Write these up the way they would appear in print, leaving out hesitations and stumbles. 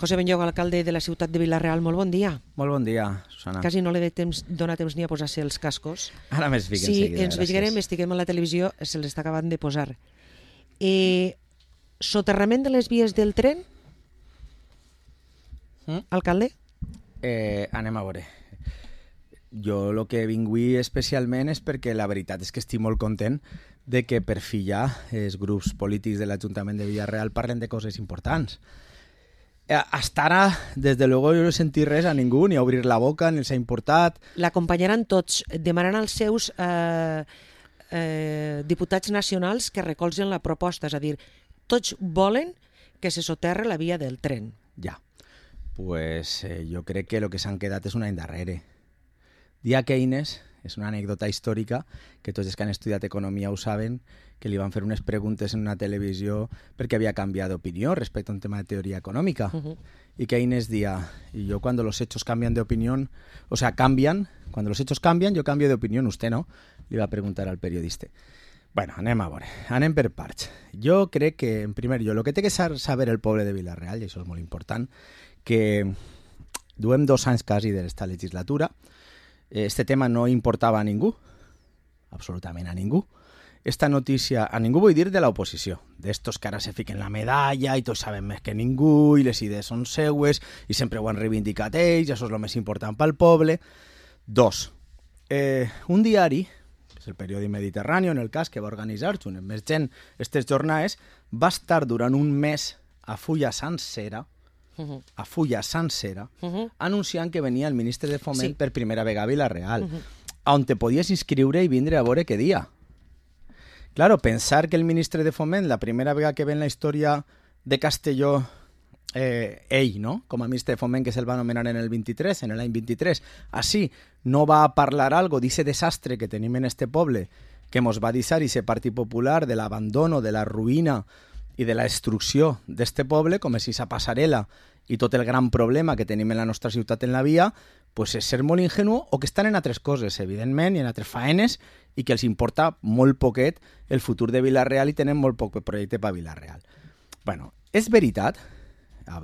José Benlloc, alcalde de la ciutat de Vila-real, molt bon dia. Molt bon dia, Susana. Quasi no li dona temps ni a posar-se els cascos. Ara més fic Sí, enseguida, ens veiem, estiguem a la televisió, se l'està acabant de posar. Soterrament de les vies del tren? Alcalde? Anem a veure. Jo el que vinc avui especialment és perquè la veritat és que estic molt content de que per fi ja els grups polítics de l'Ajuntament de Vila-real parlen de coses importants. Hasta ara, des de luego, jo no he sentit res a ningú, ni a obrir la boca, ni els ha importat. L'acompanyaran tots, demanant als seus diputats nacionals que recolzen la proposta, és a dir, tots volen que se soterre la via del tren. Ja, pues jo crec que el que s'han quedat és un any darrere. Dia Keynes és una anècdota històrica que tots els que han estudiat economia ho saben, que li van fer unes preguntes en una televisió perquè havia canviat d'opinió respecte a un tema de teoria econòmica. Y Keynes decía, y yo cuando los hechos cambian de opinión, o sea, cambian, cuando los hechos cambian, yo cambio de opinión, usted no, li va preguntar al periodista. Bueno, anem a veure, anem per parts. Jo crec que, en primer lloc, el que té que saber el poble de Vila-real, i això és molt important, que duem 2 anys quasi d'esta legislatura, este tema no importava a ningú, absolutament a ningú. Esta notícia, a ningú vull dir de l'oposició, d'estos que ara se fiquen la medalla i tots saben més que ningú i les idees són seues i sempre ho han reivindicat ells, això és el més important pel poble. 2. Un diari, que és el periòdic Mediterrani, en el cas que va organitzar junt amb més gent aquestes jornades, va estar durant un mes a fulla sencera, anunciant que venia el ministre de Foment per primera vegada a Vila-real, on te podies inscriure i vindre a veure què dia. Claro, pensar que el ministre de Foment, la primera vegada que ve en la història de Castelló, ell, no? Com a ministre de Foment, que se'l va anomenar en el 23, en l'any 23, així no va a parlar algo d'aquest desastre que tenim en este poble, que mos va deixar ese Partit Popular de l'abandono, de la ruïna i de la destrucció d'este poble, com és esa passarel·la i tot el gran problema que tenim en la nostra ciutat en la via, pues és ser molt ingenu o que estan en altres coses, evidentment, i en altres faenes, i que els importa molt poquet el futur de Vila-real i tenen molt poc projecte per Vila-real. Bueno, és veritat,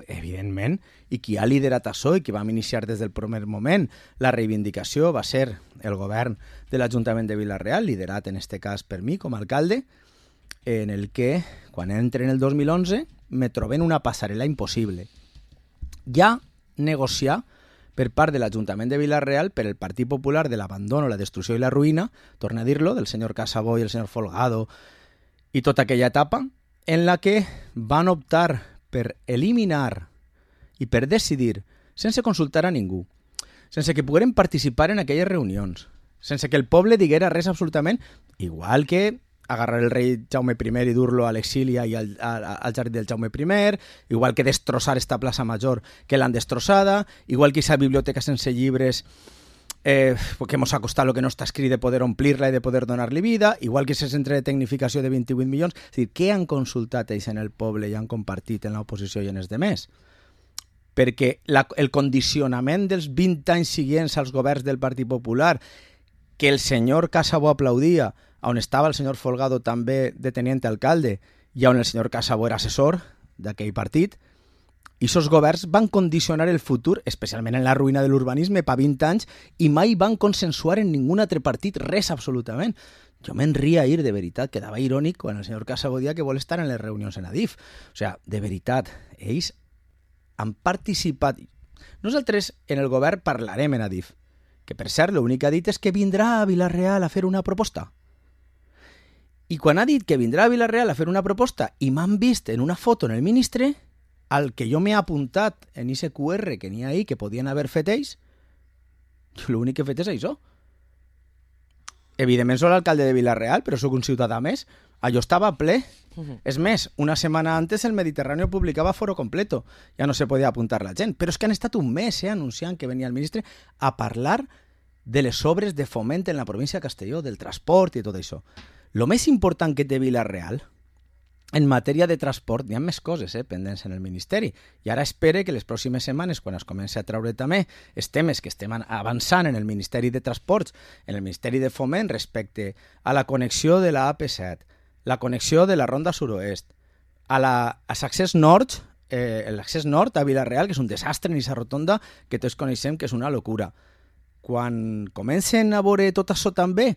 evidentment, i qui ha liderat això i qui va iniciar des del primer moment la reivindicació va ser el govern de l'Ajuntament de Vila-real, liderat en este cas per mi com a alcalde, en el que, quan entre en el 2011, me troben una passarel·la impossible. Ja negociar per part de l'Ajuntament de Vila-real per el Partit Popular de l'abandono, la destrucció i la ruïna, torna a dir-lo, del senyor Casabó i el senyor Folgado, i tota aquella etapa en la que van optar per eliminar i per decidir, sense consultar a ningú, sense que pogueren participar en aquelles reunions, sense que el poble diguera res absolutament, igual que agarrar el rei Jaume I i dur-lo a l'exili i al jardí del Jaume I, igual que destrossar esta plaça Major que l'han destrossada, igual que esa biblioteca sense llibres que hemos costat lo que no està escrit de poder omplir-la i de poder donar-li vida, igual que ese centre de tecnificació de 28 milions. És a dir, què han consultat ells en el poble i han compartit en l'oposició i en els demés? Perquè el condicionament dels 20 anys seguents als governs del Partit Popular, que el senyor Casabó aplaudia, on estava el senyor Folgado també de teniente alcalde i on el senyor Casabó era assessor d'aquell partit, i aquests governs van condicionar el futur, especialment en la ruïna de l'urbanisme, per 20 anys, i mai van consensuar en ningú altre partit res absolutament. Jo me'n ria ir, de veritat, quedava irònic quan el senyor Casabó dia que vol estar en les reunions en Adif. O sigui, de veritat, ells han participat. Nosaltres en el govern parlarem en Adif, que per cert l'únic que ha dit és que vindrà a Vila-real a fer una proposta. I quan ha dit que vindrà a Vila-real a fer una proposta i m'han vist en una foto en el ministre, al que jo m'he apuntat en ese QR que n'hi ha ahí, que podien haver fet ells, l'únic que he fet és això. Evidentment soc l'alcalde de Vila-real, però sóc un ciutadà més. Allò estava ple. És més, una setmana antes el Mediterrani publicava foro completo. Ja no se podia apuntar la gent. Però és que han estat un mes anunciant que venia el ministre a parlar de les obres de foment en la província de Castelló, del transport i tot això. Lo més important que té Vila-real, en matèria de transport, hi ha més coses pendents en el Ministeri. I ara espere que les pròximes setmanes, quan es comenci a treure també els temes que estem avançant en el Ministeri de Transports, en el Ministeri de Foment respecte a la connexió de la AP7, la connexió de la Ronda Suroest, a l'accés nord l'accés nord a Vila-real, que és un desastre en aquesta rotonda, que tots coneixem que és una locura. Quan comencen a veure tot això també,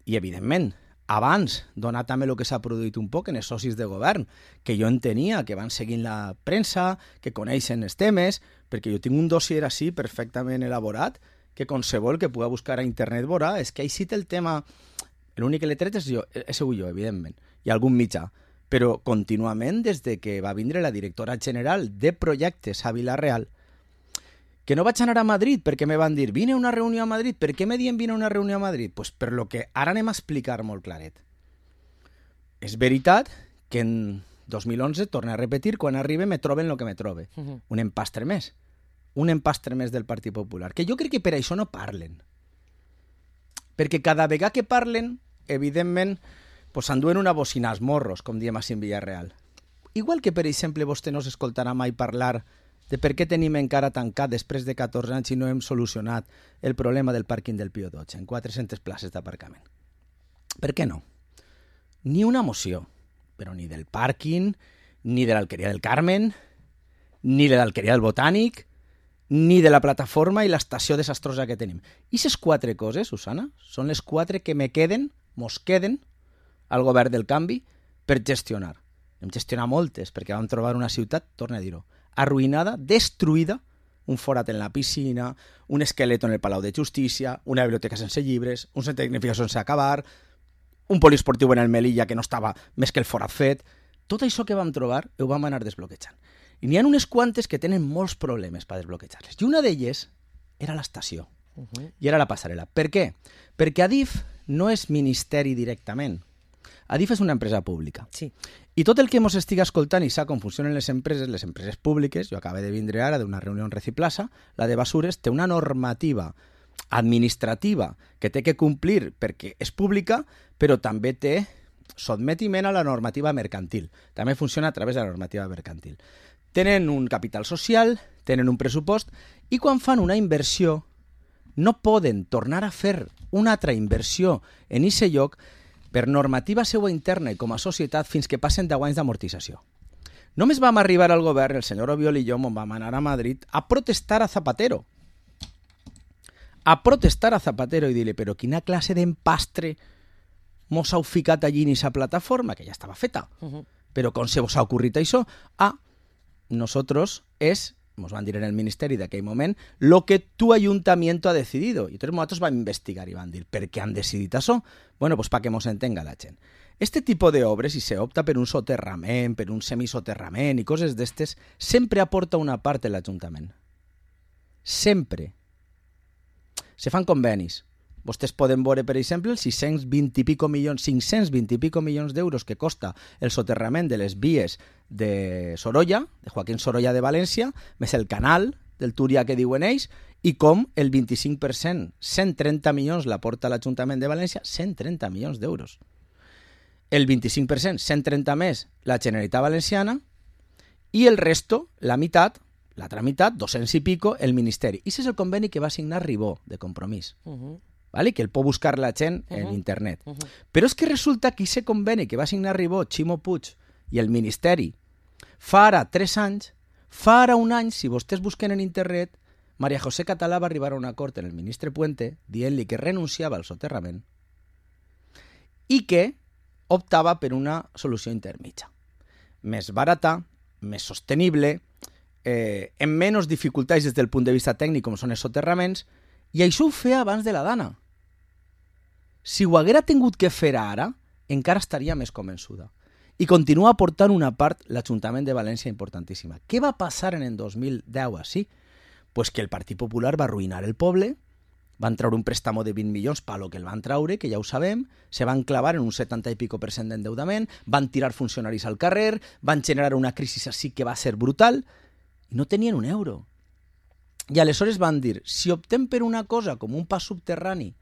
i evidentment, abans donar també el que s'ha produït un poc en els socis de govern, que jo entenia que van seguint la premsa, que coneixen els temes, perquè jo tinc un dossier així perfectament elaborat, que qualsevol que pugui buscar a internet veurà, és que així té el tema. L'únic que l'he tret he sigut jo, evidentment, i algun mitjà. Però contínuament, des de que va vindre la directora general de projectes a Vila-real, que no vaig anar a Madrid perquè me van dir vine a una reunió a Madrid. Per què me diuen vine a una reunió a Madrid? Pues per lo que ara anem a explicar molt claret. És veritat que en 2011, torno a repetir, quan arribe me troben el que me trobe. Un empastre més. Un empastre més del Partit Popular. Que jo crec que per això no parlen. Perquè cada vegada que parlen, evidentment, pues s'enduen una bocina als morros, com diem així en Vila-real. Igual que, per exemple, vostè no s'escoltarà mai parlar de per què tenim encara tancat després de 14 anys i no hem solucionat el problema del pàrquing del Pío XII en 400 places d'aparcament. Per què no? Ni una moció, però ni del pàrquing, ni de l'Alqueria del Carmen, ni de l'Alqueria del Botànic, ni de la plataforma i l'estació desastrosa que tenim. I aquestes 4 coses, Susana, són les 4 que mos queden al govern del canvi per gestionar. Hem gestionat moltes, perquè vam trobar una ciutat, torno a dir-ho, arruïnada, destruïda, un forat en la piscina, un esqueleto en el Palau de Justícia, una biblioteca sense llibres, un centre de tecnificació sense acabar, un poliesportiu en el Melilla que no estava més que el forat fet. Tot això que vam trobar ho vam anar desbloquejant. I n'hi ha unes quantes que tenen molts problemes per desbloquejar-les. I una d'elles era l'estació. I era la passarel·la. Per què? Perquè Adif no és ministeri directament. Adif és una empresa pública. Sí. I tot el que ens estigui escoltant i sap com funcionen les empreses públiques, jo acabo de vindre ara d'una reunió en Reciplaza, la de Basures té una normativa administrativa que té que complir perquè és pública, però també té sotmetiment a la normativa mercantil. També funciona a través de la normativa mercantil. Tenen un capital social, tenen un pressupost, i quan fan una inversió no poden tornar a fer una altra inversió en aquest lloc per normativa seua interna i com a societat fins que passen 10 anys d'amortització. Només vam arribar al govern, el senyor Obiol i jo, on vam anar a Madrid, a protestar a Zapatero. A protestar a Zapatero i dir-li, però quina classe d'empastre mos heu ficat allí en aquesta plataforma, que ja estava feta. Però com se vos ha ocorrit això? Nosotros nos van dir en el ministeri d'aquell moment, lo que tu ayuntamiento ha decidido. I entonces nosotros vam investigar i van dir, per què han decidit això? Bueno, pues para que mos entenga la gent. Este tipo de obres, si se opta per un soterrament, per un semisoterrament i coses d'estes, sempre aporta una part de l'Ajuntament. Sempre. Se fan convenis. Vostès poden veure, per exemple, els 520 i pico milions d'euros que costa el soterrament de les vies de Sorolla, de Joaquín Sorolla de València, més el canal del Túria que diuen ells, i com el 25%, 130 milions l'aporta l'Ajuntament de València, 130 milions d'euros. El 25%, 130 més, la Generalitat Valenciana, i el resto, l'altra meitat, 200 i pico, el Ministeri. I aquest és el conveni que va signar Ribó, de compromís. ¿Vale? Que el pot buscar la gent en internet. Però és que resulta que aquest conveni que va signar Ribó, Ximo Puig i el Ministeri fa ara 3 anys, fa ara un any, si vostès busquen en internet, María José Català va arribar a un acord en el ministre Puente dient-li que renunciava al soterrament i que optava per una solució intermitja. Més barata, més sostenible, amb menys dificultats des del punt de vista tècnic com són els soterraments, i això ho feia abans de la Dana. Si ho haguera tingut que fer ara, encara estaria més convençuda. I continua aportant una part l'Ajuntament de València importantíssima. Què va passar en el 2010 així? Pues que el Partit Popular va arruïnar el poble, van treure un préstamo de 20 milions per lo que el van treure, que ja ho sabem, se van clavar en un 70 i pico % d'endeudament, van tirar funcionaris al carrer, van generar una crisi així que va ser brutal, i no tenien un euro. I aleshores van dir, si optem per una cosa com un pas subterrani,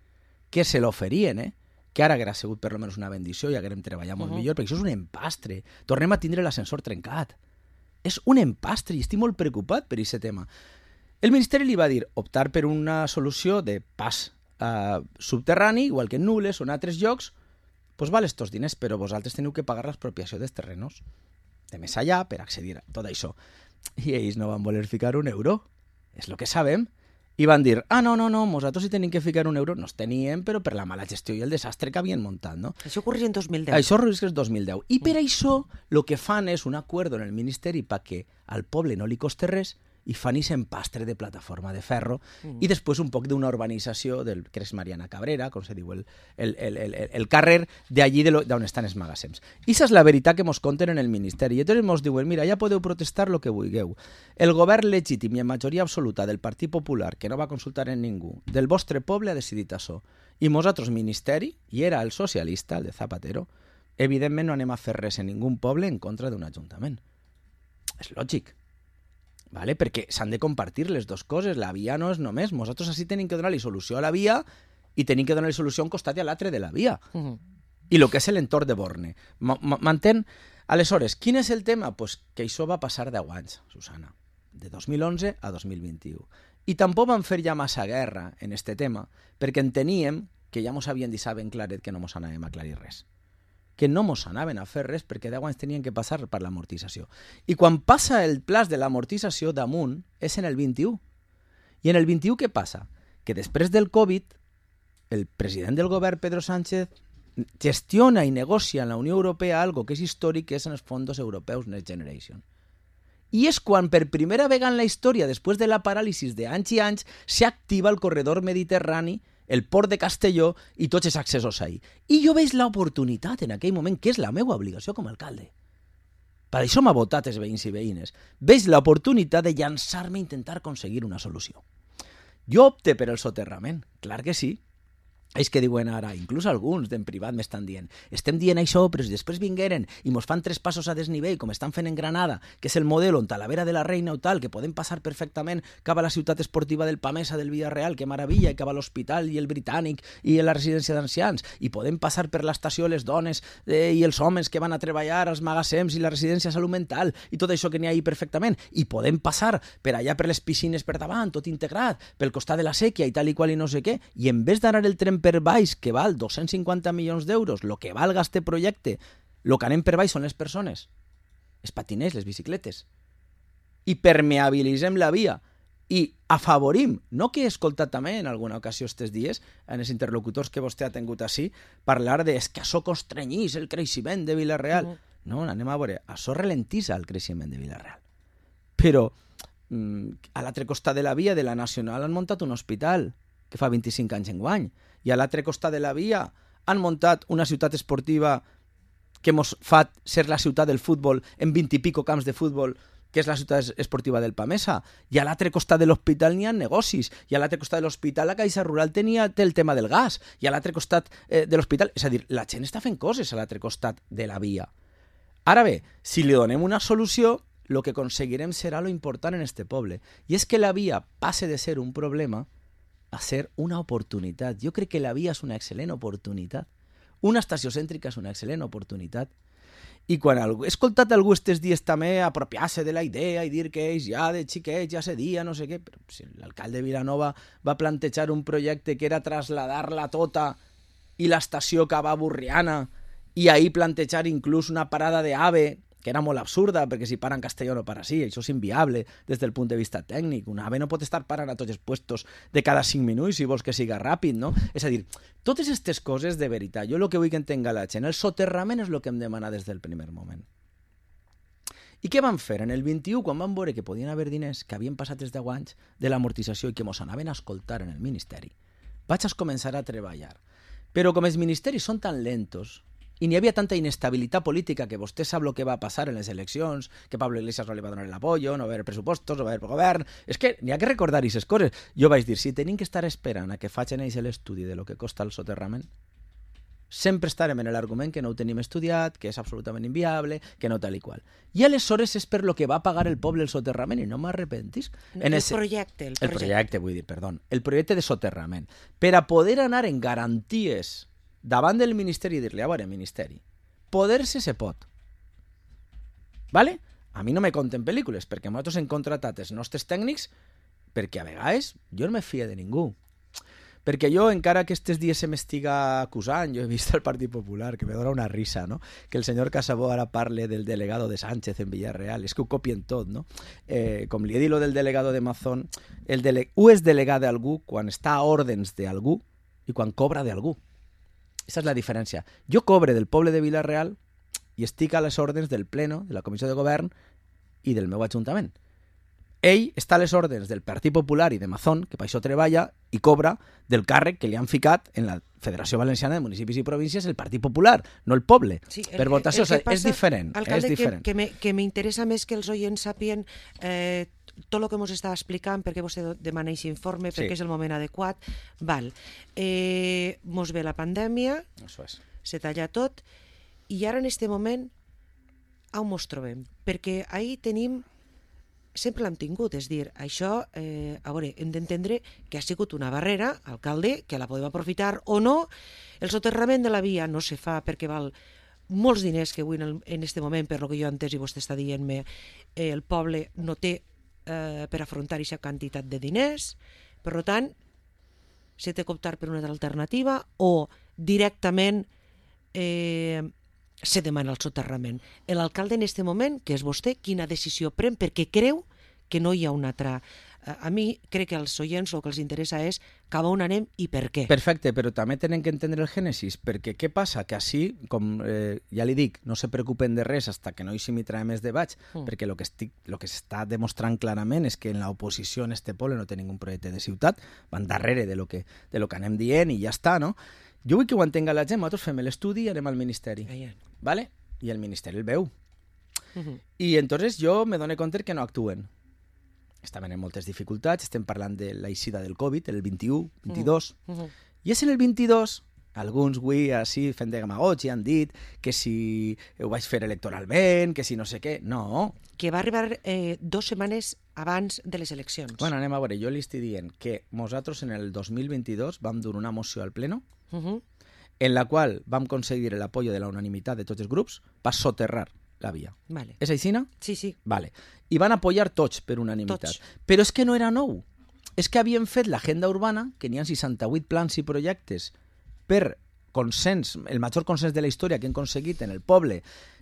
que se l'oferien, que ara haguera sigut per almenys una bendició i haguérem treballat molt millor, perquè això és un empastre. Tornem a tindre l'ascensor trencat. És un empastre i estic molt preocupat per aquest tema. El Ministeri li va dir optar per una solució de pas subterrani, igual que en Nules o en altres llocs, doncs val estos diners, però vosaltres teniu que pagar l'expropiació dels terrenos de més allà per accedir a tot això. I ells no van voler ficar un euro. És el que sabem. I van dir, no, nosaltres si tenim que ficar un euro, no els teníem, però per la mala gestió i el desastre que havien muntat, no? Això ocorria en 2010. Això és el 2010. I per això el que fan és un acord en el Ministeri perquè al poble no li costa res i fan ix empastre de plataforma de ferro i després un poc d'una urbanització del que és Mariana Cabrera, com se diu el carrer d'allí d'on estan els magassems. I això és la veritat que mos conten en el Ministeri. I llavors mos diuen, mira, ja podeu protestar el que vulgueu. El govern legítim i en majoria absoluta del Partit Popular, que no va consultar en ningú, del vostre poble ha decidit això. I nosaltres, Ministeri, i era el socialista, el de Zapatero, evidentment no anem a fer res en ningú poble en contra d'un ajuntament. És lògic. Vale? Perquè s'han de compartir les dues coses. La via no és només. Nosaltres així tenim que donar-li solució a la via i tenim que donar-li solució a un costat i a l'altre de la via. I el que és l'entorn de Borne. M'entén? Aleshores, quin és el tema? Pues que això va passar 10 anys, Susana. De 2011 a 2021. I tampoc van fer ja massa guerra en este tema perquè enteníem que ja mos havien dit ben claret que no mos anàvem a aclarir res. Que no mos anaven a fer res perquè 10 anys tenien que passar per l'amortització. I quan passa el plaç de l'amortització damunt és en el 21. I en el 21 què passa? Que després del Covid, el president del govern, Pedro Sánchez, gestiona i negocia en la Unió Europea algo que és històric, que és en els fons europeus Next Generation. I és quan per primera vegada en la història, després de la paràlisi d'anys i anys, s'activa el corredor mediterrani, el port de Castelló i tots els accessos ahí. I jo veig l'oportunitat en aquell moment, que és la meva obligació com a alcalde. Per això m'ha votat els veïns i veïnes. Veig l'oportunitat de llançar-me a intentar aconseguir una solució. Jo opte per el soterrament, clar que sí. És que diuen ara, inclús alguns d'en privat m'estan dient, estem dient això, però si després vingueren i mos fan 3 passos a desnivell, com estan fent en Granada, que és el model on Talavera de la Reina o tal, que podem passar perfectament cap a la ciutat esportiva del Pamesa del Villarreal, que meravella, i cap a l'Hospital i el Britànic i la residència d'ancians, i podem passar per l'estació les dones i els homes que van a treballar als magassems i la residència de salut mental, i tot això que n'hi ha ahí perfectament, i podem passar per allà per les piscines per davant, tot integrat, pel costat de la sèquia i tal i qual i no sé què, i en vez d'anar el tren per baix, que val 250 milions d'euros, el que valga este projecte, el que anem per baix són les persones, els patiners, les bicicletes, i permeabilitzem la via, i afavorim, no que he escoltat també en alguna ocasió aquests dies, en els interlocutors que vostè ha tingut així, parlar de que això constrenyís el creixement de Vila-real. No, anem a veure, això ralentissa el creixement de Vila-real. Però a l'altre costat de la via de la Nacional han muntat un hospital que fa 25 anys enguany, i a l'altre costat de la via han muntat una ciutat esportiva que mos fa ser la ciutat del futbol en 20 i pico camps de futbol, que és la ciutat esportiva del Pamesa, i a l'altre costat de l'hospital n'hi ha negocis, i a l'altre costat de l'hospital la Caixa Rural té el tema del gas, i a l'altre costat de l'hospital, és a dir, la gent està fent coses a l'altre costat de la via. Ara bé, si li donem una solució, el que aconseguirem serà lo important en este poble, i és que la via passe de ser un problema a ser una oportunitat. Jo crec que la via és una excel·lent oportunitat. Una estació cèntrica és una excel·lent oportunitat. I quan he escoltat algú estos dies també apropiar-se de la idea i dir que ells ja de xiquets ja cedia, no sé què, però si l'alcalde de Vilanova va plantejar un projecte que era traslladar-la tota i l'estació cap a Burriana i ahir plantejar inclús una parada d'AVE, que era molt absurda, perquè si para en Castelló no para així, això és inviable des del punt de vista tècnic. Un AVE no pot estar parant a tots els puestos de cada 5 minuts si vols que siga ràpid, no? És a dir, totes aquestes coses de veritat, jo el que vull que entenga la gent, el soterrament és el que em demana des del primer moment. I què van fer? En el 21, quan van veure que podien haver diners que havien passat els 10 anys de l'amortització i que mos anaven a escoltar en el Ministeri, vaig a començar a treballar. Però com els ministeris són tan lentos, i n'hi havia tanta inestabilitat política que vostè sap el que va passar en les eleccions, que Pablo Iglesias no li va donar l'apoyo, no va haver pressupostos, no va haver govern. És que n'hi ha que recordar aquestes coses. Jo vaig dir, si tenim que estar esperant a que facin ells l'estudi de lo que costa el soterrament, sempre estarem en l'argument que no ho tenim estudiat, que és absolutament inviable, que no tal i qual. I aleshores és per lo que va pagar el poble el soterrament, i no m'arrepentis. El projecte, vull dir, perdó. El projecte de soterrament. Per a poder anar en garanties davant del Ministeri i dir-li, a veure, Ministeri, poder-se se pot. Vale? A mi no me conten pel·lícules, perquè nosaltres hem contratat els nostres tècnics perquè a vegades jo no me fie de ningú. Perquè jo, encara que aquests dies se m'estiga acusant, jo he vist al Partit Popular, que me dona una risa, no? Que el senyor Casabó ara parle del delegado de Sánchez en Villarreal. És que ho copien tot, no? Com li he dit lo del delegado de Mazón, u és delegat d'algú quan està a ordens d'algú i quan cobra d'algú. Aquesta és la diferència. Jo cobre del poble de Villarreal i estic a les ordres del Pleno, de la Comissió de Govern i del meu Ajuntament. Ell està a les ordres del Partit Popular i de Mazón, que per això treballa i cobra del càrrec que li han ficat en la Federació Valenciana de Municipis i Províncies el Partit Popular, no el poble. Sí, per votació, és diferent. Alcalde, és diferent. Que m'interessa més que els oients sàpien tot el que ens està explicant, perquè vostè demana aquest informe, perquè és el moment adequat. Val. Mos ve la pandèmia, se talla tot, i ara en aquest moment on ens trobem? Perquè ahir tenim sempre l'hem tingut, és dir, això, a veure, hem d'entendre que ha sigut una barrera, alcalde, que la podem aprofitar o no. El soterrament de la via no se fa perquè val molts diners que avui en aquest moment, per lo que jo he entès i vostè està dient-me, el poble no té per afrontar aquesta quantitat de diners. Per tant, s'ha de optar per una altra alternativa o directament se demana el soterrament. L'alcalde en aquest moment, que és vostè, quina decisió pren perquè creu que no hi ha una altra. A mi crec que als oients el que els interessa és cap a on anem i per què. Perfecte, però també tenen que entendre el gènesis, perquè què passa? Que així, com ja li dic, no se preocupen de res fins que no hi trae més debats, perquè el que s'està demostrant clarament és que en l'oposició en este poble no té ningú projecte de ciutat, van darrere de lo que anem dient i ja està, no? Jo vull que ho entenga la gent, nosaltres fem l'estudi i anem al Ministeri, ¿vale? I el Ministeri el veu. I entonces jo me dono compte que no actuen. Estaven en moltes dificultats, estem parlant de l'eixida del Covid, el 21, 22, i és en el 22, alguns avui així fent de demagogia han dit que si ho vaig fer electoralment, que si no sé què, no. Que va arribar 2 setmanes abans de les eleccions. Bueno, anem a veure, jo li estic dient que nosaltres en el 2022 vam dur una moció al Pleno en la qual vam aconseguir l'apoyo de la unanimitat de tots els grups per soterrar la via. Vale. És així, no? Sí, sí. Vale. I van apoyar tots per unanimitat. Tots. Però és que no era nou. És que havien fet l'agenda urbana, que n'hi ha 68 plans i projectes per consens, el major consens de la història que hem aconseguit en el poble,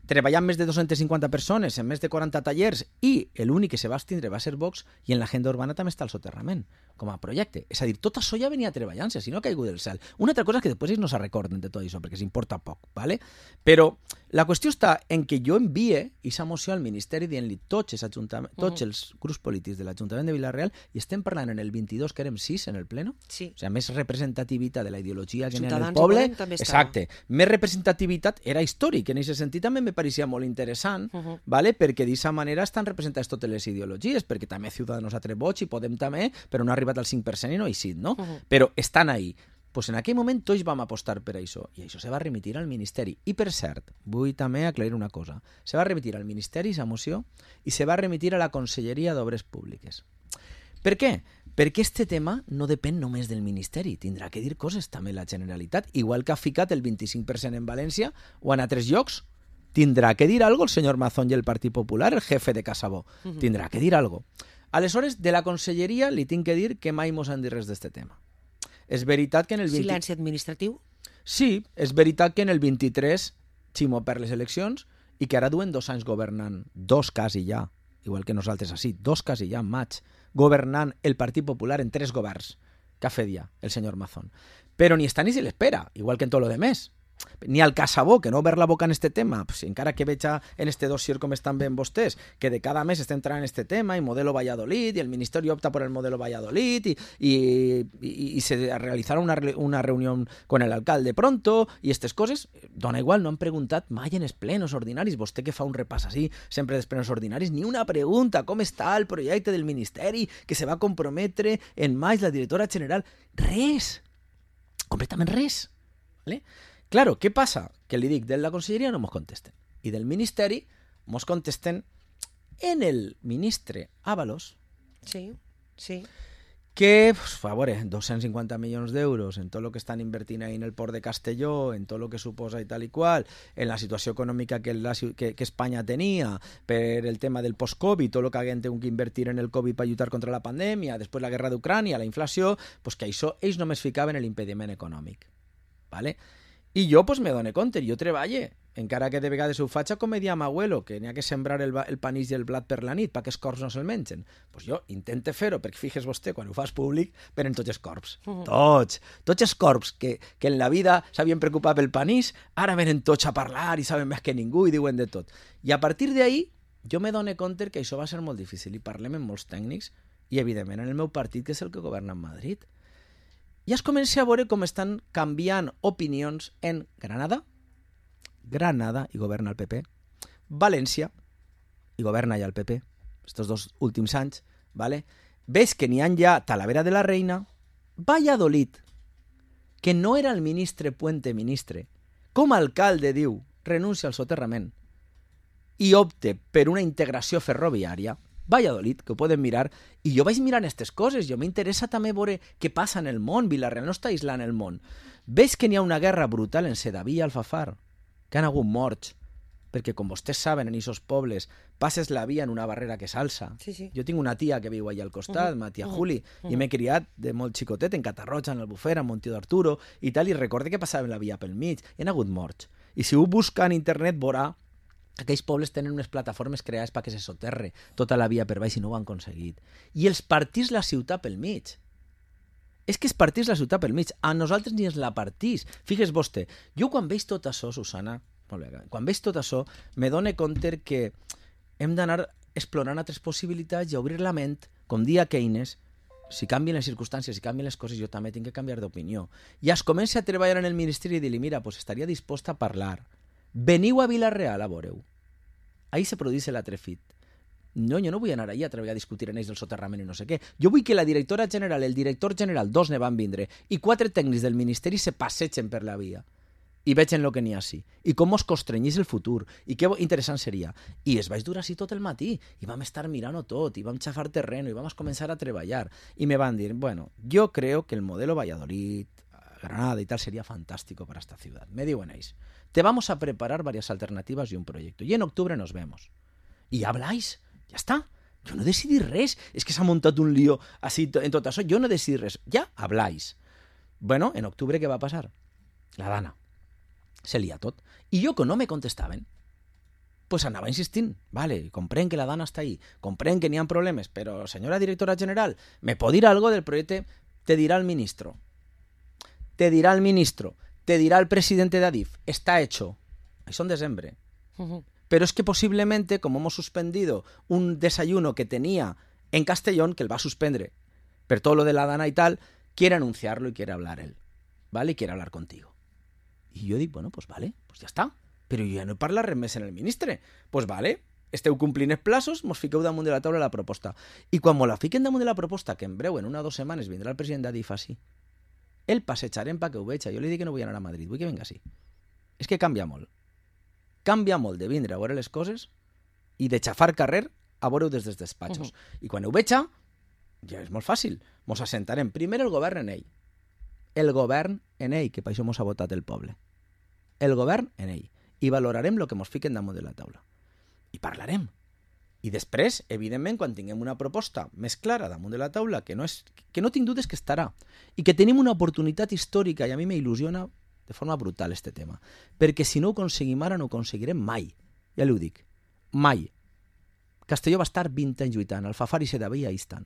treballant més de 250 persones en més de 40 tallers, i l'únic que se va abstindre va ser Vox, i en l'agenda urbana també està el soterrament com a projecte. És a dir, tot això ja venia treballant-se, si no ha caigut del cel. Una altra cosa és que després ells no se recorden de tot això, perquè s'importa poc, ¿vale? Però la qüestió està en que jo envie aquesta moció al Ministeri dient-li tots els grups polítics de l'Ajuntament de Villarreal, i estem parlant en el 22, que érem 6 en el Pleno, o sigui, més representativitat de la ideologia que en el poble. Exacte. Més representativitat era històric, en aquest sentit també me pareixia molt interessant, ¿vale? Perquè d'aquesta manera estan representades totes les ideologies, perquè també Ciudadanos ha tret vots i Podem també, però no ha arribat al 5% i no ha eixit, no? Però estan ahí. Pues en aquell moment tots vam apostar per això, i això se va remitir al Ministeri. I per cert, vull també aclarir una cosa. Se va remitir al Ministeri, aquesta moció, i se va remitir a la Conselleria d'Obres Públiques. Per què? Perquè este tema no depèn només del Ministeri, tindrà que dir coses també la Generalitat, igual que ha ficat el 25% en València o en altres llocs. Tindrà que dir algo el senyor Mazón i el Partit Popular, el jefe de Casabó. Tindrà que dir algo. Aleshores, de la Conselleria li tinc que dir que mai mos han dit res d'este tema. És veritat que en el... Silenci administratiu? Sí, és veritat que en el 23 Ximo perd les eleccions i que ara duen 2 anys governant, 2 quasi ja, igual que nosaltres així, 2 quasi ja en maig, governant el Partit Popular en 3 governs que ha fet ja el senyor Mazón. Però ni està ni se l'espera, igual que en tot lo demés. Ni al Casabó, que no obert la boca en este tema, pues, encara que veig en este dossier com estan ben vostès, que de cada mes estem entrant en este tema, y modelo Valladolid, y el Ministerio opta por el modelo Valladolid, y se realizarà una reunión con el alcalde pronto, y estas coses, dona igual, no han preguntat mai en els plenos ordinaris, vostè que fa un repàs així, sempre dels plenos ordinaris, ni una pregunta, com està el projecte del Ministeri, que se va comprometre en maig la directora general, res, completament res, ¿vale? Claro, què passa? Que li dic, de la Conselleria no mos contesten. I del Ministeri mos contesten en el ministre Ábalos. Sí, sí. que, pues, a veure, 250 milions d'euros en tot el que estan invertint ahí en el port de Castelló, en tot el que suposa i tal i qual, en la situació econòmica que Espanya tenia, per el tema del post-Covid, tot el que haguem tingut que invertir en el Covid per lluitar contra la pandèmia, després la guerra d'Ucrània, la inflació, pues que això ells només ficaven en l'impediment econòmic. ¿Vale? I jo pues, me dono compte, jo treballe, encara que de vegades ho faig com me dia m'abuelo, que n'hi ha que sembrar el panís i el blat per la nit perquè els corps no se'l mengen. Pues jo intente fer-ho, perquè fixes vostè, quan ho fas públic, venen tots els corps. Tots els corps que en la vida s'havien preocupat pel panís, ara venen tots a parlar i saben més que ningú i diuen de tot. I a partir d'ahí, jo me dono compte que això va ser molt difícil i parlem amb molts tècnics i, evidentment, en el meu partit, que és el que governa a Madrid. Ja es comença a veure com estan canviant opinions en Granada i governa el PP, València i governa ja el PP, estos 2 últims anys, ¿vale? Ves que n'hi ha ja Talavera de la Reina, Valladolid, que no era el ministre Puente ministre, com a alcalde diu, renuncia al soterrament i opte per una integració ferroviària, Valladolid, que ho poden mirar, i jo vaig mirant aquestes coses, jo m'interessa també veure què passa en el món, Vila-real no està aïslant el món. Ves que n'hi ha una guerra brutal en Sedaví i Alfafar, que han hagut morts, perquè com vostès saben, en aquests pobles, passes la via en una barrera que s'alça. Sí. Jo tinc una tia que viu allà al costat, ma tia Juli, i m'he criat de molt xicotet en Catarroja, en l'Albufera, en Montió d'Arturo, i tal, i recorde que passava la via pel mig, i han hagut morts. I si ho busca en internet veurà aquells pobles tenen unes plataformes creades perquè se soterre tota la via per baix i no ho han aconseguit. I els partís la ciutat pel mig. És que es partís la ciutat pel mig. A nosaltres ni ens la partís. Fixes vostè, jo quan veig tot això, Susana, quan veig tot això, me dono compte que hem d'anar explorant altres possibilitats i obrir la ment, com dia Keynes, si canvien les circumstàncies, si canvien les coses, jo també tinc que canviar d'opinió. I es comença a treballar en el ministeri i dir-li, mira, pues estaria disposta a parlar. Veniu a Vila-real a veure-ho. Ahí se produeix l'atrefit. No, jo no vull anar allà a treballar a discutir en ells del soterrament i no sé què. Jo vull que la directora general, el director general, 2 ne van vindre, i 4 tècnics del ministeri se passegen per la via i vegen el que n'hi ha així. I com es constrenyís el futur. I que interessant seria. I es vaig dur així tot el matí. I vam estar mirant-ho tot, i vam xafar terreno, i vam començar a treballar. I me van dir, bueno, yo creo que el modelo Valladolid, Granada y tal sería fantástico para esta ciudad. Me diuen ells. Te vamos a preparar varias alternativas y un proyecto. Y en octubre nos vemos. Y habláis. Ya está. Yo no decidí res. Es que s'ha muntat un lío así en tot això. Yo no decidí res. Ya habláis. Bueno, en octubre què va passar? La Dana. Se lia tot. I jo, que no me contestaven, pues anava insistint. Vale, comprenc que la Dana està ahí. Comprenc que n'hi ha problemes. Però, senyora directora general, ¿me pot dir algo del proyecto? Te dirá el ministro. Te dirá el ministro. Te dirá el presidente de Adif, está hecho. Eso en diciembre. Pero es que posiblemente, como hemos suspendido un desayuno que tenía en Castellón, que él va a suspender por todo lo de la Dana y tal, quiere anunciarlo y quiere hablar él. ¿Vale? Y quiere hablar contigo. Y yo digo, bueno, pues vale, pues ya está. Pero yo ya no parla res més en el ministre. Pues vale, esteu complint els plaços, mos fiqueu damunt de la taula la proposta. I quan mos la fiquen damunt de la proposta, que en breu, en 1 o 2 setmanes, vindrà el president d'Adif així, el passejarem perquè ho veig. Jo li dic que no vull anar a Madrid, vull que venga així. És que canvia molt. Canvia molt de vindre a veure les coses i de xafar carrer a veure-ho des dels despatxos. I quan ho veig, ja és molt fàcil. Mos assentarem primer el govern en ell. El govern en ell, que per això mos ha votat el poble. El govern en ell. I valorarem el que mos fiquen damunt de la taula. I parlarem. I després, evidentment, quan tinguem una proposta més clara damunt de la taula, que no tinc dubtes que estarà, i que tenim una oportunitat històrica, i a mi m'il·lusiona de forma brutal este tema, perquè si no ho aconseguim ara, no ho aconseguirem mai. Ja li ho dic. Mai. Castelló va estar 20 anys lluitant, Alfafar i Sedaví ahí estan.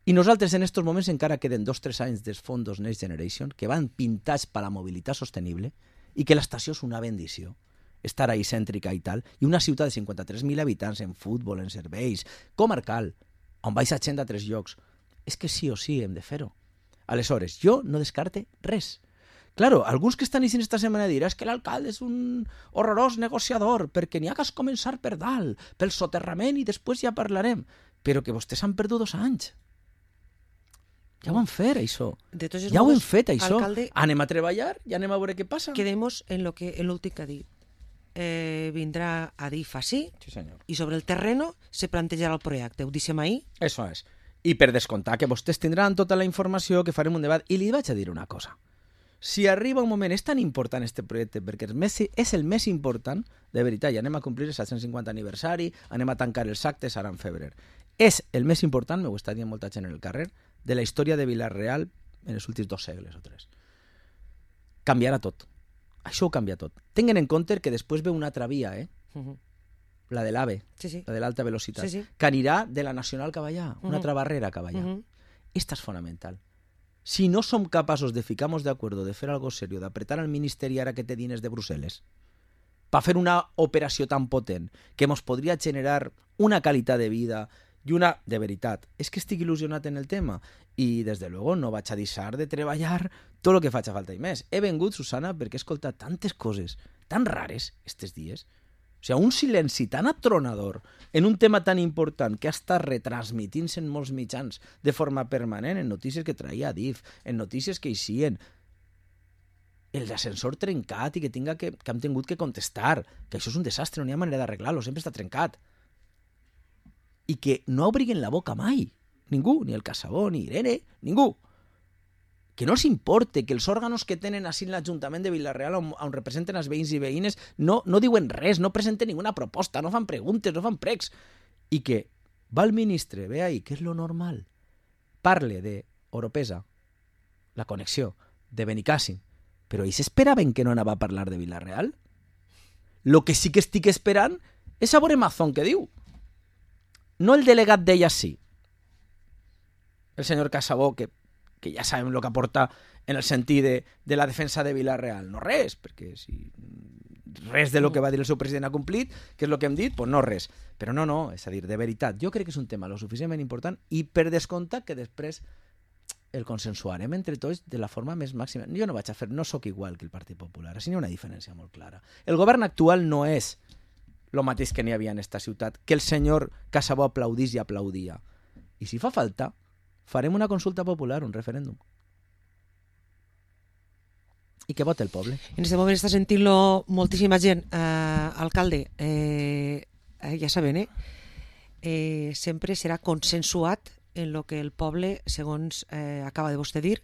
I nosaltres en estos moments encara queden 2-3 anys dels fondos Next Generation que van pintats per la mobilitat sostenible i que l'estació és una bendició. Estar ahí cèntrica i tal, i una ciutat de 53.000 habitants en futbol, en serveis, comarcal, on vais a gent a 3 llocs. És que sí o sí hem de fer-ho. Aleshores, jo no descarte res. Claro, alguns que estan eixint esta setmana diran que l'alcalde és un horrorós negociador, perquè n'hi ha que començar per dalt, pel soterrament, i després ja parlarem. Però que vostès han perdut 2 anys. Ja ho han fet, això. Ja ho hem fet, això. Alcalde, anem a treballar i anem a veure què passa. Quedemos en l'últim que ha dit. Vindrà Adif així, sí, senyor. I sobre el terreno se plantejarà el projecte. Ho deixem ahí? Eso és. I per descomptar que vostès tindran tota la informació, que farem un debat. I li vaig a dir una cosa. Si arriba un moment, és tan important este projecte, perquè és el més important, de veritat, i anem a complir el 750 aniversari, anem a tancar els actes ara en febrer. És el més important, m'ho està dient molta gent en el carrer, de la història de Vila-real en els últims 2 segles o 3. Canviarà tot. Això ho canvia tot. Tinguin en compte que després ve una altra via, la de l'AVE, la de l'alta velocitat, que anirà de la Nacional cap allà, una altra barrera cap allà. Esta és fonamental. Si no som capaços de ficar-nos d'acord, de fer algo serio, d'apretar al Ministeri ara que té diners de Brussel·les, per fer una operació tan potent que ens podria generar una qualitat de vida i una... De veritat, és que estic il·lusionat en el tema i, des de luego, no vaig a deixar de treballar tot el que faci falta i més. He vengut, Susana, perquè he escoltat tantes coses tan rares estos dies. O sigui, un silenci tan atronador en un tema tan important que ha estat retransmitint-se en molts mitjans de forma permanent, en notícies que traia DIF, en notícies que eixien, el d'ascensor trencat i que hem tingut que contestar, que això és un desastre, no hi ha manera d'arreglar-lo, sempre està trencat. I que no obriguen la boca mai, ningú, ni el Casabó, ni Irene, ningú. Que no els importe que els òrganos que tenen així en l'Ajuntament de Vila-real on representen els veïns i veïnes no diuen res, no presenten ninguna proposta, no fan preguntes, no fan pregs. I que va el ministre, ve ahí, que és lo normal, parle de Oropesa, la connexió, de Benicàssim, però ells esperaven que no anava a parlar de Vila-real? Lo que sí que estic esperant és a veure Mazón què diu. No el delegat d'ella sí, el senyor Casabó, que ja sabem el que aporta en el sentit de la defensa de Vila-real. No res, perquè si res de lo que va dir el seu president ha complit, que és el que hem dit, doncs no res. Però no, és a dir, de veritat, jo crec que és un tema lo suficientment important i per descomptat que després el consensuarem entre tots de la forma més màxima. Jo no vaig a fer, no sóc igual que el Partit Popular, així n'hi ha una diferència molt clara. El govern actual no és el mateix que n'hi havia en esta ciutat, que el senyor Casabó aplaudís i aplaudia. I si fa falta, farem una consulta popular, un referèndum. I que vote el poble. En aquest moment està sentint-lo moltíssima gent. Alcalde, ja saben, sempre serà consensuat en lo que el poble, segons acaba de vostè dir,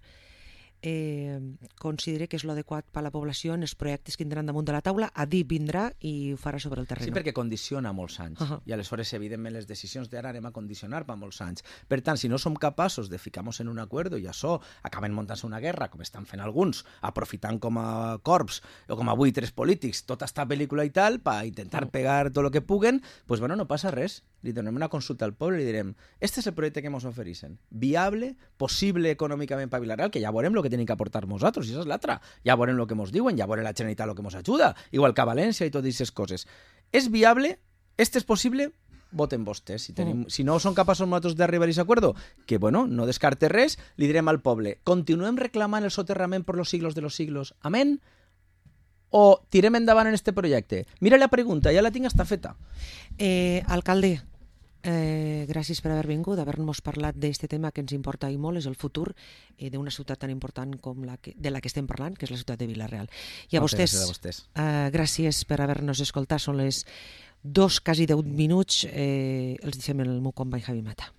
considera que és l'adequat per a la població en els projectes que tindran damunt de la taula. A dir vindrà i ho farà sobre el terreny. Sí, perquè condiciona molts anys. I aleshores, evidentment, les decisions d'ara anem a condicionar per molts anys. Per tant, si no som capaços de ficar-nos en un acord i això acaben muntant-se una guerra, com estan fent alguns, aprofitant com a corps o com a buitres polítics tota esta pel·lícula i tal, per intentar pegar tot el que puguen, doncs bueno, no passa res. Li donem una consulta al poble i li direm este és el projecte que ens ofereixen. Viable, possible econòmicament per Vila-real, que ja veurem el que tenim que aportar nosaltres, i això és l'altra. Ja veurem el que ens diuen, ja veurem la Generalitat el que ens ajuda, igual que a València i totes aquestes coses. És viable? Este és possible? Voten vostès. Si no són capaços nosaltres d'arribar a aquest acord, que bueno, no descarte res, li direm al poble, continuem reclamant el soterrament per los siglos de los siglos. Amén? O tirem endavant en este projecte? Mira la pregunta, ja la tinc hasta feta. Alcalde, gràcies per haver vingut, haver-nos parlat d'aquest tema que ens importa i molt, és el futur d'una ciutat tan important com de la que estem parlant, que és la ciutat de Vila-real. I a vostès, gràcies per haver-nos escoltat. Són les 2, quasi 10 minuts. Els deixem el meu company Javi Mata.